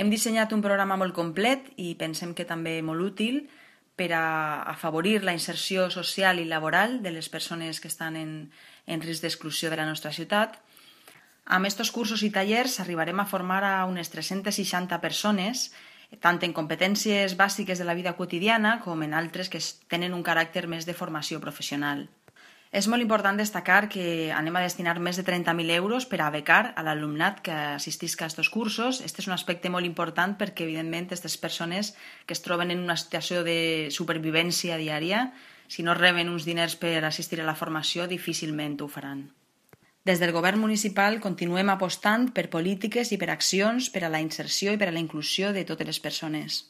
Hem dissenyat un programa molt complet i pensem que també molt útil per a afavorir la inserció social i laboral de les persones que estan en risc d'exclusió de la nostra ciutat. Amb aquests cursos i tallers arribarem a formar a unes 360 persones, tant en competències bàsiques de la vida quotidiana com en altres que tenen un caràcter més de formació professional. És molt important destacar que anem a destinar més de 30.000 euros per a becar a l'alumnat que assistisca a aquests cursos. Aquest és un aspecte molt important perquè, evidentment, aquestes persones que es troben en una situació de supervivència diària, si no reben uns diners per assistir a la formació, difícilment ho faran. Des del govern municipal continuem apostant per polítiques i per accions per a la inserció i per a la inclusió de totes les persones.